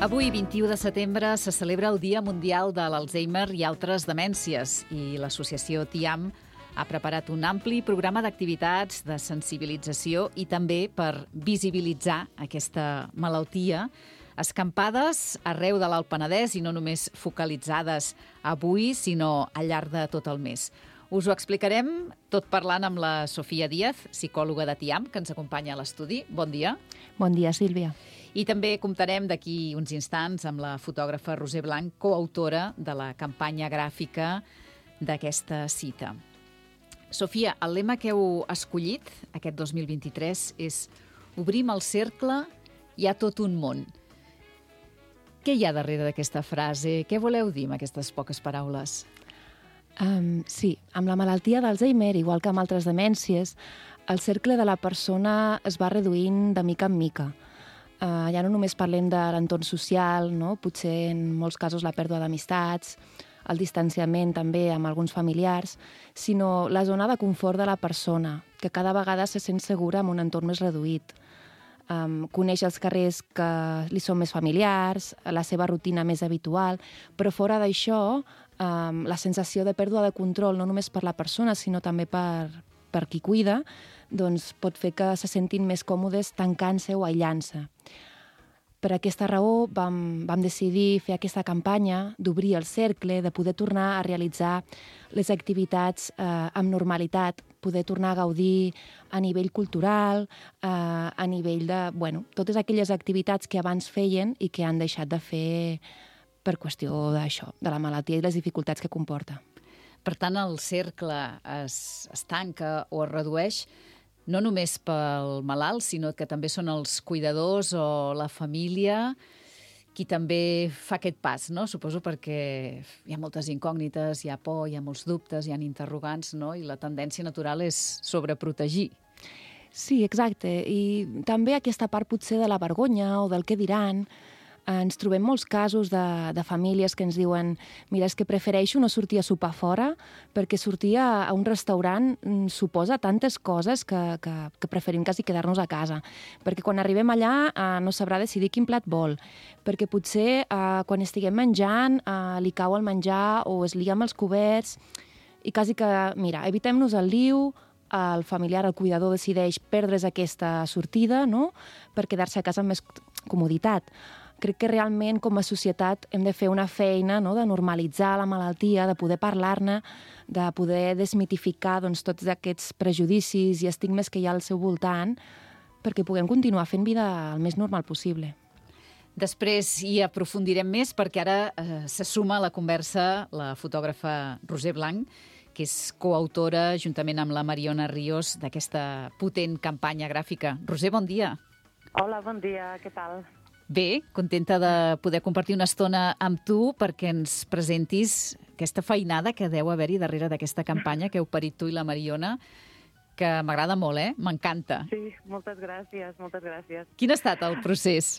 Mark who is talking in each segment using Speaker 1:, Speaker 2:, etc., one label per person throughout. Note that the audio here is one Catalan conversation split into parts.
Speaker 1: Avui, 21 de setembre, se celebra el Dia Mundial de l'Alzheimer i altres demències i l'associació TIAM ha preparat un ampli programa d'activitats de sensibilització i també per visibilitzar aquesta malaltia. Escampades arreu de l'Alt Penedès i no només focalitzades avui, sinó al llarg de tot el mes. Us ho explicarem tot parlant amb la Sofia Díaz, psicòloga de TIAM, que ens acompanya a l'estudi. Bon dia.
Speaker 2: Bon dia, Sílvia.
Speaker 1: I també comptarem d'aquí uns instants amb la fotògrafa Roser Blanc, coautora de la campanya gràfica d'aquesta cita. Sofia, el lema que heu escollit aquest 2023 és «Obrim el cercle, hi ha tot un món». Què hi ha darrere d'aquesta frase? Què voleu dir amb aquestes poques paraules?
Speaker 2: Sí, amb la malaltia d'Alzheimer, igual que amb altres demències, el cercle de la persona es va reduint de mica en mica. Ja no només parlem de l'entorn social, no? Potser en molts casos la pèrdua d'amistats, el distanciament també amb alguns familiars, sinó la zona de confort de la persona, que cada vegada se sent segura en un entorn més reduït. Coneix els carrers que li són més familiars, la seva rutina més habitual, però fora d'això, la sensació de pèrdua de control, no només per la persona, sinó també per qui cuida, doncs pot fer que se sentin més còmodes tancant-se o aïllant-se. Per aquesta raó vam decidir fer aquesta campanya d'obrir el cercle, de poder tornar a realitzar les activitats amb normalitat, poder tornar a gaudir a nivell cultural, a nivell de, totes aquelles activitats que abans feien i que han deixat de fer per qüestió d'això, de la malaltia i les dificultats que comporta.
Speaker 1: Per tant, el cercle es tanca o es redueix no només pel malalt, sinó que també són els cuidadors o la família qui també fa aquest pas, no? Suposo perquè hi ha moltes incògnites, hi ha por, hi ha molts dubtes, hi ha interrogants, no? I la tendència natural és sobreprotegir.
Speaker 2: Sí, exacte. I també aquesta part potser de la vergonya o del què diran. Ens trobem molts casos de famílies que ens diuen mira, és que prefereixo no sortir a sopar fora perquè sortir a un restaurant suposa tantes coses que preferim quasi quedar-nos a casa. Perquè quan arribem allà no sabrà decidir quin plat vol. Perquè potser quan estiguem menjant li cau el menjar o es lia amb els coberts i quasi que, mira, evitem-nos el liu, el familiar, el cuidador decideix perdre's aquesta sortida, no?, per quedar-se a casa amb més comoditat. Crec que realment com a societat hem de fer una feina, no?, de normalitzar la malaltia, de poder parlar-ne, de poder desmitificar tots aquests prejudicis i estigmes que hi ha al seu voltant perquè puguem continuar fent vida el més normal possible.
Speaker 1: Després hi aprofundirem més perquè ara se suma a la conversa la fotògrafa Roser Blanc, que és coautora, juntament amb la Mariona Ríos, d'aquesta potent campanya gràfica. Roser, bon dia.
Speaker 3: Hola, bon dia, què tal?
Speaker 1: Bé, contenta de poder compartir una estona amb tu perquè ens presentis aquesta feinada que deu haver-hi darrere d'aquesta campanya que heu parit tu i la Mariona, que m'agrada molt, m'encanta.
Speaker 3: Sí, moltes gràcies, moltes gràcies.
Speaker 1: Quin ha estat el procés?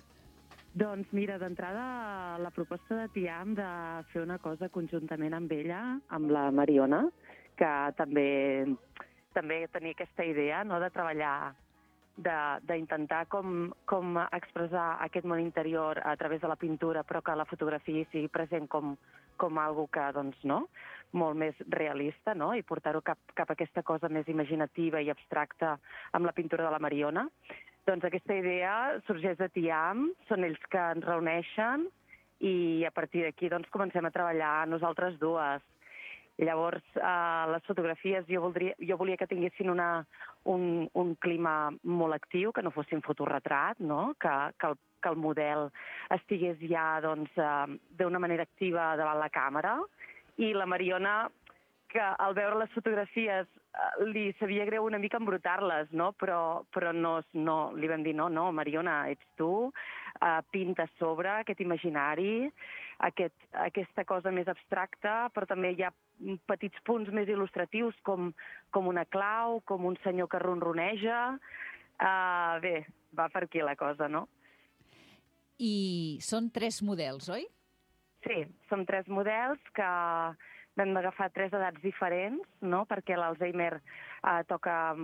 Speaker 3: Doncs mira, d'entrada la proposta de TIAM de fer una cosa conjuntament amb ella, amb la Mariona, que també tenia aquesta idea, no?, de treballar, d'intentar com expressar aquest món interior a través de la pintura, però que la fotografia sigui present com algo que, doncs, no?, molt més realista, no?, i portar-ho cap a aquesta cosa més imaginativa i abstracta amb la pintura de la Mariona. Doncs aquesta idea sorgeix de TIAM, són ells que ens reuneixen i a partir d'aquí doncs, comencem a treballar nosaltres dues. Llavors, les fotografies jo volia que tinguessin un clima molt actiu, que no fossin fotoretrat, no?, que el model estigués ja d'una manera activa davant la càmera. I la Mariona, que al veure les fotografies li sabia greu una mica embrutar-les, no? Però no, li vam dir no, Mariona, ets tu, pinta a sobre aquest imaginari, aquesta cosa més abstracta, però també hi ha petits punts més il·lustratius com una clau, com un senyor que ronroneja. Bé, va per aquí la cosa, no?
Speaker 1: I són 3 models, oi?
Speaker 3: Sí, som 3 models que vam agafar 3 edats diferents, no?, perquè l'Alzheimer toca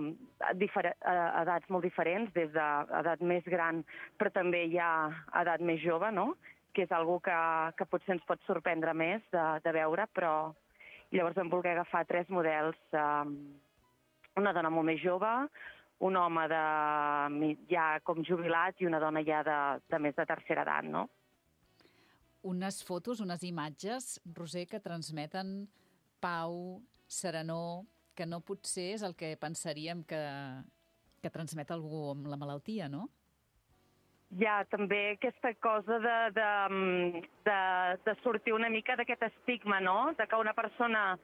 Speaker 3: edats molt diferents, des d'edat més gran, però també hi ha edat més jove, no?, que és algo que potser ens pot sorprendre més de veure, però llavors vam voler agafar 3 models, una dona molt més jove, un home ja com jubilat i una dona ja de més de tercera edat, no?
Speaker 1: Unes fotos, unes imatges, Roser, que transmeten pau, serenor, que no potser és el que pensaríem que transmet algú amb la malaltia, no?
Speaker 3: Hi ha també aquesta cosa de sortir una mica d'aquest estigma, no? De que una persona,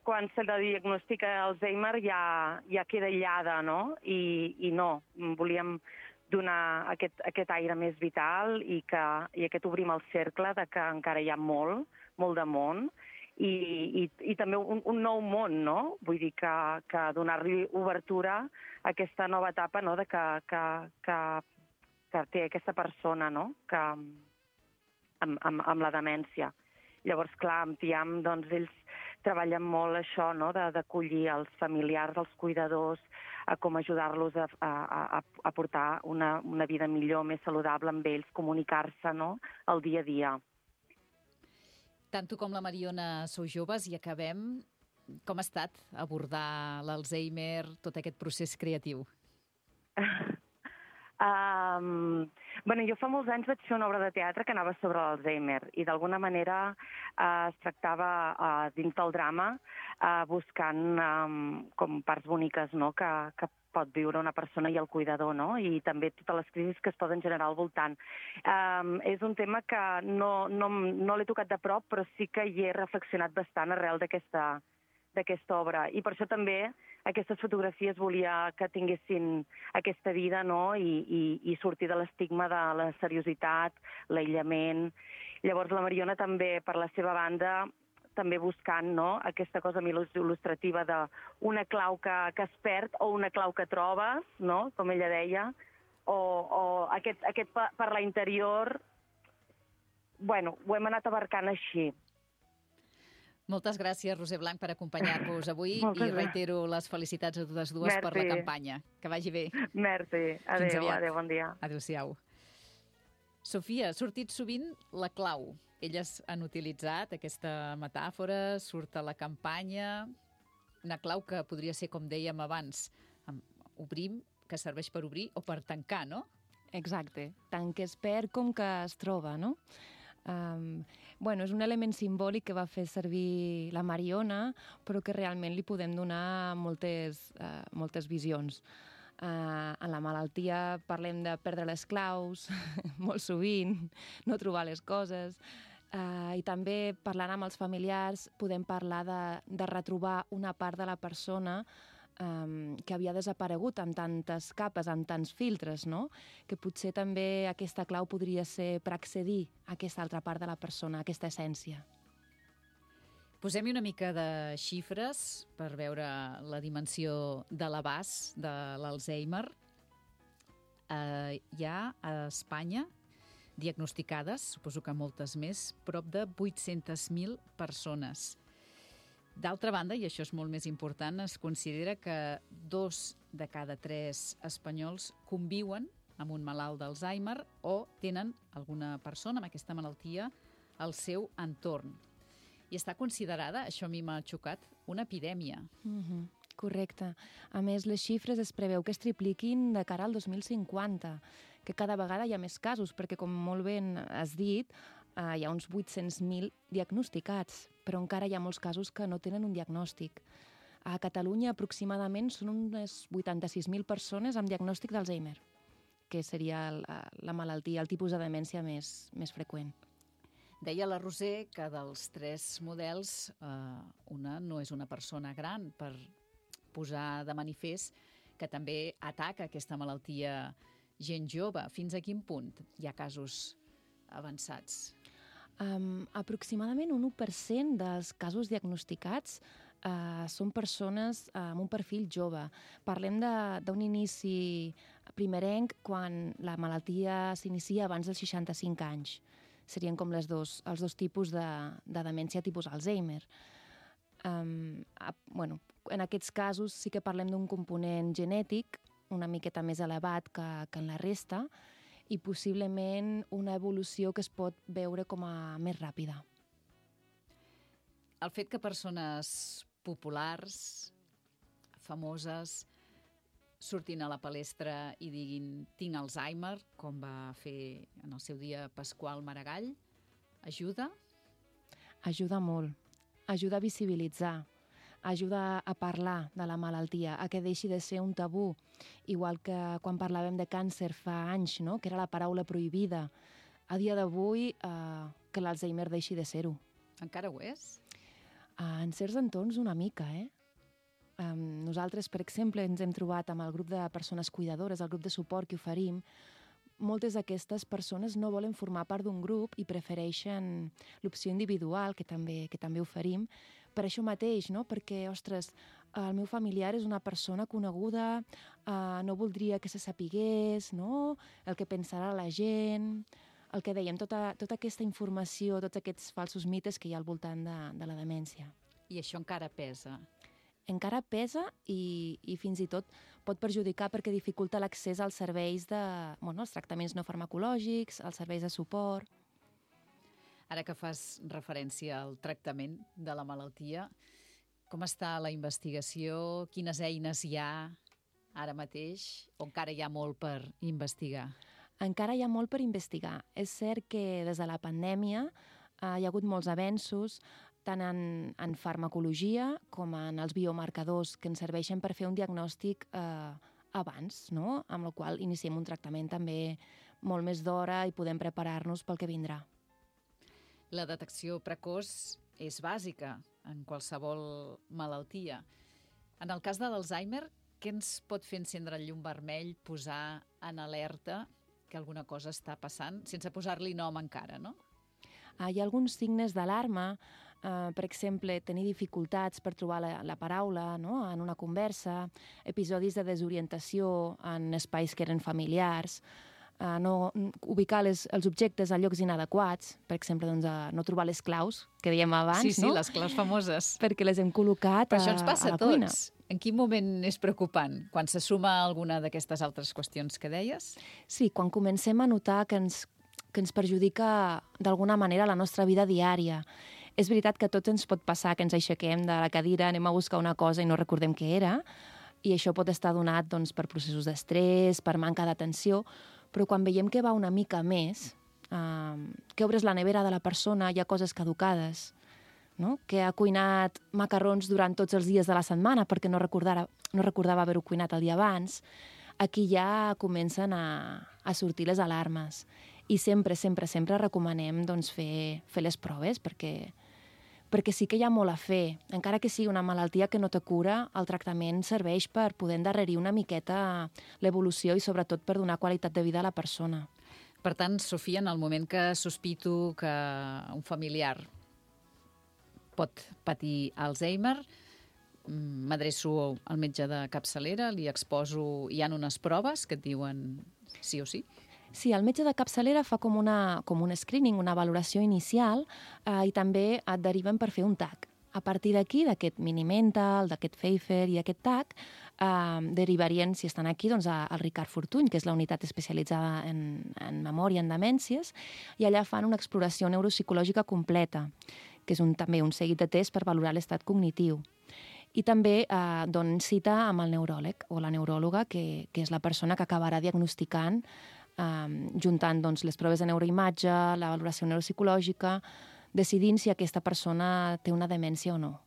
Speaker 3: quan se la diagnostica Alzheimer, ja queda aïllada, no? I no, volíem donar aquest aire més vital i aquest obrim el cercle de que encara hi ha molt de món i també un nou món, no? Vull dir que donar-li obertura a aquesta nova etapa, no? De que té aquesta persona, no? Amb la demència. Llavors, clar, amb TIAM, doncs, ells treballen molt això, no? D'acollir els familiars, els cuidadors, a com ajudar-los a portar una vida millor, més saludable amb ells, comunicar-se, no? El dia a dia.
Speaker 1: Tant tu com la Mariona sou joves i acabem. Com ha estat abordar l'Alzheimer, tot aquest procés creatiu?
Speaker 3: Bueno, jo fa molts anys vaig fer una obra de teatre que anava sobre l'Alzheimer i d'alguna manera es tractava dins del drama buscant com parts boniques, no? Que pot viure una persona i el cuidador, no? I també totes les crisis que es poden generar al voltant. És un tema que no l'he tocat de prop, però sí que hi he reflexionat bastant arrel d'aquesta obra. I per això també aquestes fotografies volia que tinguessin aquesta vida, no? I sortir de l'estigma de la seriositat, l'aïllament. Llavors la Mariona també, per la seva banda, també buscant, no? Aquesta cosa il·lustrativa d'una clau que es perd o una clau que trobes, no? Com ella deia, o aquest parlar interior. Bueno, ho hem anat abarcant així.
Speaker 1: Moltes gràcies, Roser Blanch, per acompanyar-vos avui i reitero les felicitats a totes dues per la campanya. Que vagi bé.
Speaker 3: Merci. Adéu, bon dia.
Speaker 1: Adéu-siau. Sofia, ha sortit sovint la clau. Elles han utilitzat aquesta metàfora, surt a la campanya, una clau que podria ser, com dèiem abans, obrim, que serveix per obrir o per tancar, no?
Speaker 2: Exacte, tant que es perd com que es troba, no? Bueno, és un element simbòlic que va fer servir la Mariona, però que realment li podem donar moltes visions. En la malaltia parlem de perdre les claus, molt sovint, no trobar les coses, i també parlant amb els familiars podem parlar de retrobar una part de la persona que havia desaparegut amb tantes capes, amb tants filtres, no? Que potser també aquesta clau podria ser per accedir a aquesta altra part de la persona, a aquesta essència.
Speaker 1: Posem-hi una mica de xifres per veure la dimensió de l'abast de l'Alzheimer. Hi ha a Espanya diagnosticades, suposo que moltes més, prop de 800.000 persones. D'altra banda, i això és molt més important, es considera que 2 de cada 3 espanyols conviuen amb un malalt d'Alzheimer o tenen alguna persona amb aquesta malaltia al seu entorn. I està considerada, això a mi m'ha xocat, una epidèmia.
Speaker 2: Correcte. A més, les xifres es preveu que es tripliquin de cara al 2050, que cada vegada hi ha més casos, perquè, com molt ben has dit, hi ha uns 800.000 diagnosticats, però encara hi ha molts casos que no tenen un diagnòstic. A Catalunya, aproximadament, són unes 86.000 persones amb diagnòstic d'Alzheimer, que seria la malaltia, el tipus de demència més freqüent.
Speaker 1: Deia la Roser que dels 3 models, una no és una persona gran, per posar de manifest que també ataca aquesta malaltia gent jove. Fins a quin punt hi ha casos avançats?
Speaker 2: Aproximadament un 1% dels casos diagnosticats són persones amb un perfil jove. Parlem d'un inici primerenc quan la malaltia s'inicia abans dels 65 anys. Serien com els dos tipus de demència tipus Alzheimer. En aquests casos sí que parlem d'un component genètic una miqueta més elevat que en la resta, i possiblement una evolució que es pot veure com a més ràpida.
Speaker 1: El fet que persones populars, famoses, surtin a la palestra i diguin tinc Alzheimer, com va fer en el seu dia Pasqual Maragall, ajuda?
Speaker 2: Ajuda molt. Ajuda a visibilitzar. Ajuda a parlar de la malaltia, a que deixi de ser un tabú. Igual que quan parlàvem de càncer fa anys, no? Que era la paraula prohibida. A dia d'avui, que l'Alzheimer deixi de ser-ho.
Speaker 1: Encara ho és?
Speaker 2: En certs entorns una mica, Nosaltres, per exemple, ens hem trobat amb el grup de persones cuidadores, el grup de suport que oferim. Moltes d'aquestes persones no volen formar part d'un grup i prefereixen l'opció individual, que també oferim, per això mateix, no? Perquè, ostres, el meu familiar és una persona coneguda, no voldria que se sapigués, no? El que pensarà la gent, el que dèiem, tota aquesta informació, tots aquests falsos mites que hi ha al voltant de la demència.
Speaker 1: I això encara pesa?
Speaker 2: Encara pesa i fins i tot pot perjudicar perquè dificulta l'accés als serveis als tractaments no farmacològics, als serveis de suport.
Speaker 1: Ara que fas referència al tractament de la malaltia, com està la investigació? Quines eines hi ha ara mateix? O encara hi ha molt per investigar?
Speaker 2: Encara hi ha molt per investigar. És cert que des de la pandèmia hi ha hagut molts avenços, tant en farmacologia com en els biomarcadors que ens serveixen per fer un diagnòstic abans, no? Amb la qual iniciem un tractament també molt més d'hora i podem preparar-nos pel que vindrà.
Speaker 1: La detecció precoç és bàsica en qualsevol malaltia. En el cas de l'Alzheimer, què ens pot fer encendre el llum vermell, posar en alerta que alguna cosa està passant, sense posar-li nom encara, no?
Speaker 2: Hi ha alguns signes d'alarma, per exemple, tenir dificultats per trobar la paraula, no? En una conversa, episodis de desorientació en espais que eren familiars, no ubicar els objectes a llocs inadequats, per exemple, no trobar les claus, que dèiem abans,
Speaker 1: sí,
Speaker 2: no?
Speaker 1: Les claus famoses.
Speaker 2: Perquè les hem col·locat
Speaker 1: Però això ens passa
Speaker 2: a la cuina.
Speaker 1: tots. En quin moment és preocupant? Quan se suma alguna d'aquestes altres qüestions que deies?
Speaker 2: Sí, quan comencem a notar que ens perjudica d'alguna manera la nostra vida diària. És veritat que a tots ens pot passar que ens aixequem de la cadira, anem a buscar una cosa i no recordem què era, i això pot estar donat per processos d'estrès, per manca d'atenció, però quan veiem que va una mica més, que obres la nevera de la persona, hi ha coses caducades, no? Que ha cuinat macarrons durant tots els dies de la setmana perquè no recordava haver-ho cuinat el dia abans, aquí ja comencen a sortir les alarmes. I sempre recomanem fer les proves perquè sí que hi ha molt a fer. Encara que sigui una malaltia que no té cura, el tractament serveix per poder endarrerir una miqueta l'evolució i sobretot per donar qualitat de vida a la persona.
Speaker 1: Per tant, Sofia, en el moment que sospito que un familiar pot patir Alzheimer, m'adreço al metge de capçalera, li exposo... Hi ha unes proves que et diuen sí o sí?
Speaker 2: Sí, el metge de capçalera fa com un screening, una valoració inicial, i també et deriven per fer un TAC. A partir d'aquí, d'aquest mini-mental, d'aquest Pfeiffer i aquest TAC, derivarien, si estan aquí, al Ricard Fortuny, que és la unitat especialitzada en memòria, en demències, i allà fan una exploració neuropsicològica completa, que és també un seguit de tests per valorar l'estat cognitiu. I també donen cita amb el neuròleg o la neuròloga, que és la persona que acabarà diagnosticant, juntant les proves de neuroimatge, la valoració neuropsicològica, decidint si aquesta persona té una demència o no.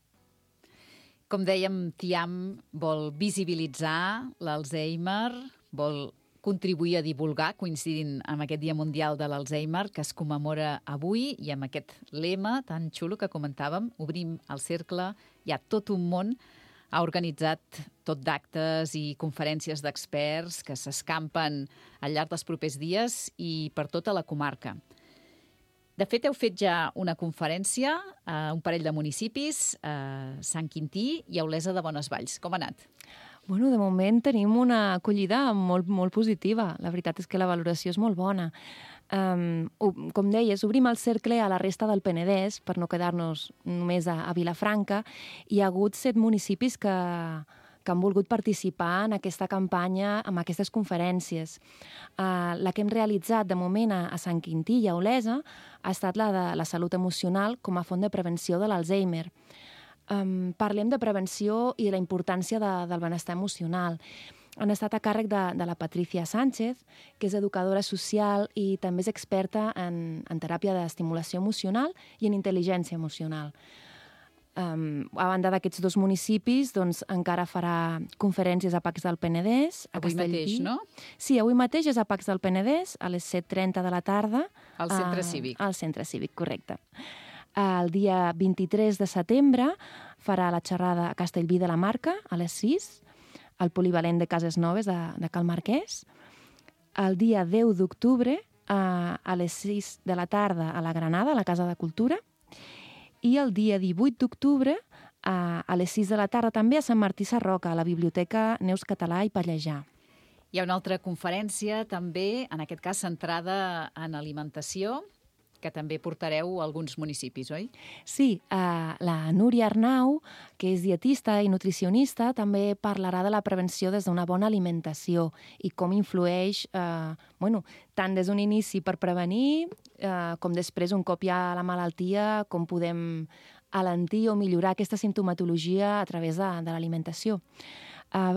Speaker 1: Com dèiem, TIAM vol visibilitzar l'Alzheimer, vol contribuir a divulgar, coincidint amb aquest Dia Mundial de l'Alzheimer, que es commemora avui, i amb aquest lema tan xulo que comentàvem, obrim el cercle, hi ha tot un món, ha organitzat tot d'actes i conferències d'experts que s'escampen al llarg dels propers dies i per tota la comarca. De fet, heu fet ja una conferència a un parell de municipis, a Sant Quintí i a Olesa de Bonesvalls. Com ha anat?
Speaker 2: Bueno, de moment tenim una acollida molt, molt positiva. La veritat és que la valoració és molt bona. Com deies, obrim el cercle a la resta del Penedès per no quedar-nos només a Vilafranca. Hi ha hagut 7 municipis que que han volgut participar en aquesta campanya, amb aquestes conferències. La que hem realitzat de moment a Sant Quintí i a Olesa ha estat la de la salut emocional com a font de prevenció de l'Alzheimer. Parlem de prevenció i de la importància del benestar emocional. Han estat a càrrec de la Patricia Sánchez, que és educadora social i també és experta en teràpia d'estimulació emocional i en intel·ligència emocional. A banda d'aquests dos municipis, doncs, encara farà conferències a Pacs del Penedès, a
Speaker 1: Avui mateix, no?
Speaker 2: Sí, avui mateix és a Pacs del Penedès, a les 7:30 de la tarda.
Speaker 1: Al Centre Cívic.
Speaker 2: Al Centre Cívic, correcte. El dia 23 de setembre farà la xerrada a Castellví de la Marca, a les 6, al Polivalent de Cases Noves de Cal Marquès. El dia 10 d'octubre, a les 6 de la tarda, a la Granada, a la Casa de Cultura. I el dia 18 d'octubre, a les 6 de la tarda, també a Sant Martí Sarroca, a la Biblioteca Neus Català i Pallejà.
Speaker 1: Hi ha una altra conferència, també, en aquest cas centrada en alimentació, que també portareu a alguns municipis, oi?
Speaker 2: Sí, la Núria Arnau, que és dietista i nutricionista, també parlarà de la prevenció des d'una bona alimentació i com influeix, tant des d'un inici per prevenir, com després, un cop hi ha la malaltia, com podem alentir o millorar aquesta simptomatologia a través de l'alimentació.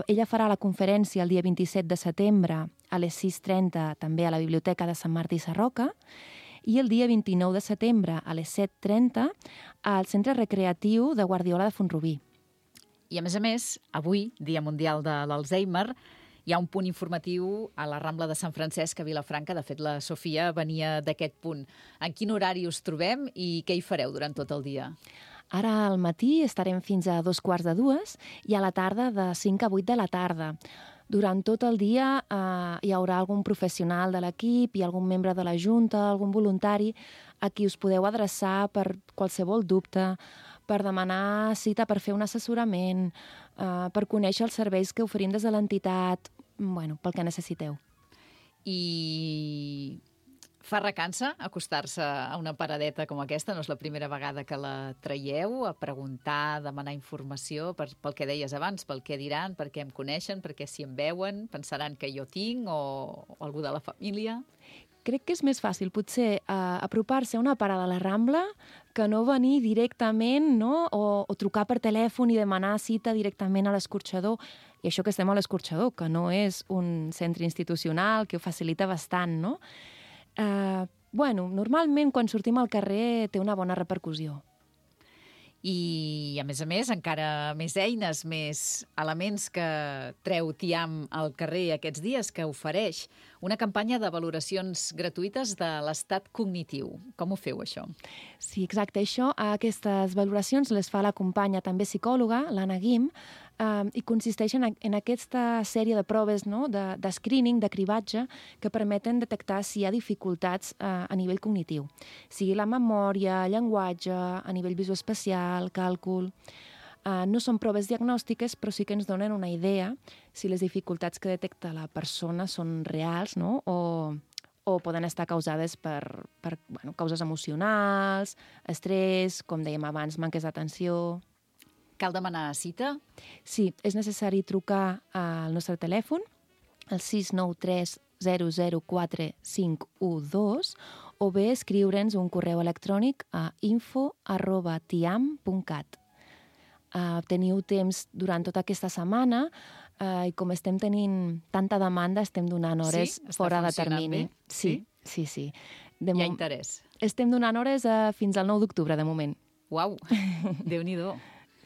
Speaker 2: Ella farà la conferència el dia 27 de setembre a les 6:30, també a la Biblioteca de Sant Martí Sarroca, i el dia 29 de setembre a les 7:30 al Centre Recreatiu de Guardiola de Font-rubí.
Speaker 1: I, a més, avui, Dia Mundial de l'Alzheimer, hi ha un punt informatiu a la Rambla de Sant Francesc a Vilafranca. De fet, la Sofia venia d'aquest punt. En quin horari us trobem i què hi fareu durant tot el dia?
Speaker 2: Ara al matí estarem fins a 2:15 i a la tarda de 5 a 8 de la tarda. Durant tot el dia hi haurà algun professional de l'equip i algun membre de la Junta, algun voluntari, a qui us podeu adreçar per qualsevol dubte, per demanar cita per fer un assessorament, per conèixer els serveis que oferim des de l'entitat, pel que necessiteu.
Speaker 1: I fa recança acostar-se a una paradeta com aquesta? No és la primera vegada que la traieu, a preguntar, a demanar informació pel que deies abans, pel què diran, per què em coneixen, per què si em veuen, pensaran que jo tinc o algú de la família?
Speaker 2: Crec que és més fàcil, potser, apropar-se a una parada a la Rambla que no venir directament, no? O trucar per telèfon i demanar cita directament a l'escorxador. I això que estem a l'escorxador, que no és un centre institucional, que ho facilita bastant, no? Normalment, quan sortim al carrer, té una bona repercussió.
Speaker 1: I, a més, encara més eines, més elements que treu TIAM al carrer aquests dies, que ofereix una campanya de valoracions gratuïtes de l'estat cognitiu. Com ho feu, això?
Speaker 2: Sí, exacte. Aquestes valoracions les fa la companya també psicòloga, l'Anna Guim, i consisteixen en aquesta sèrie de proves, no?, de screening, de cribatge, que permeten detectar si hi ha dificultats a nivell cognitiu. Sigui la memòria, llenguatge, a nivell visoespacial, càlcul. No són proves diagnòstiques, però sí que ens donen una idea si les dificultats que detecta la persona són reals, no?, o poden estar causades per causes emocionals, estrès, com dèiem abans, manques d'atenció.
Speaker 1: Cal demanar cita?
Speaker 2: Sí, és necessari trucar al nostre telèfon, el 693 004 512, o bé escriure'ns un correu electrònic a info@tiam.cat. Teniu temps durant tota aquesta setmana i com estem tenint tanta demanda, estem donant hores fora de termini.
Speaker 1: Bé? Sí.
Speaker 2: Hi
Speaker 1: ha interès.
Speaker 2: Estem donant hores fins al 9 d'octubre, de moment.
Speaker 1: Uau, Déu-n'hi-do.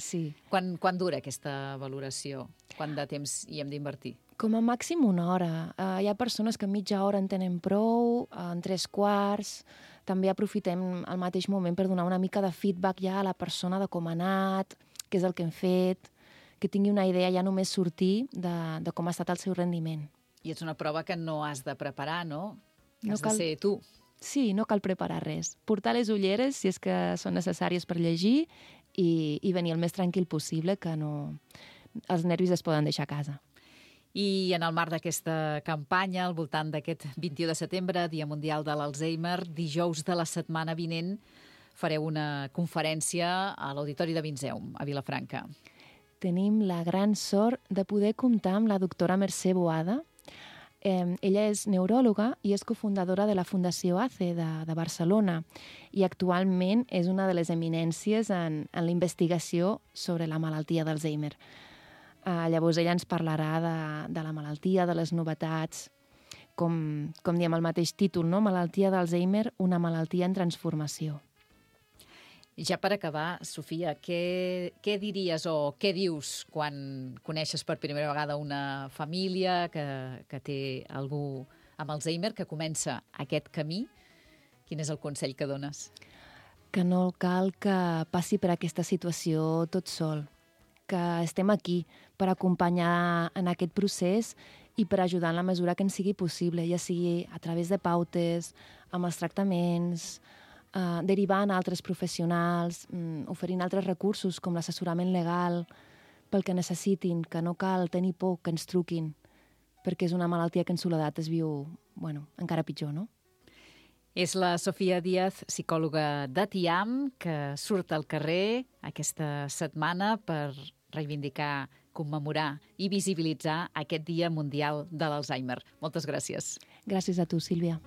Speaker 2: Sí.
Speaker 1: Quan dura aquesta valoració? Quant de temps hi hem d'invertir?
Speaker 2: Com a màxim una hora. Hi ha persones que en mitja hora en tenen prou, en 3/4. També aprofitem el mateix moment per donar una mica de feedback ja a la persona de com ha anat, què és el que hem fet, que tingui una idea ja només sortir de com ha estat el seu rendiment.
Speaker 1: I és una prova que no has de preparar, no? Has
Speaker 2: cal...
Speaker 1: de ser tu.
Speaker 2: Sí, no cal preparar res. Portar les ulleres, si és que són necessàries per llegir, i venir el més tranquil possible, que no... els nervis es poden deixar a casa.
Speaker 1: I en el marc d'aquesta campanya, al voltant d'aquest 21 de setembre, Dia Mundial de l'Alzheimer, dijous de la setmana vinent, fareu una conferència a l'Auditori de Vinzeum, a Vilafranca.
Speaker 2: Tenim la gran sort de poder comptar amb la doctora Mercè Boada. Ella és neuròloga i és cofundadora de la Fundació ACE de Barcelona i actualment és una de les eminències en la investigació sobre la malaltia d'Alzheimer. Llavors ella ens parlarà de la malaltia, de les novetats, com diem el mateix títol, no? Malaltia d'Alzheimer, una malaltia en transformació.
Speaker 1: I ja per acabar, Sofia, què diries o què dius quan coneixes per primera vegada una família que té algú amb Alzheimer, que comença aquest camí? Quin és el consell que dones?
Speaker 2: Que no cal que passi per aquesta situació tot sol, que estem aquí per acompanyar en aquest procés i per ajudar en la mesura que ens sigui possible, ja sigui a través de pautes, amb els tractaments, derivant a altres professionals, oferint altres recursos com l'assessorament legal pel que necessitin, que no cal tenir por que ens truquin, perquè és una malaltia que en soledat es viu, encara pitjor, no?
Speaker 1: És la Sofia Díaz, psicòloga de TIAM, que surt al carrer aquesta setmana per reivindicar, commemorar i visibilitzar aquest Dia Mundial de l'Alzheimer. Moltes gràcies.
Speaker 2: Gràcies a tu, Sílvia.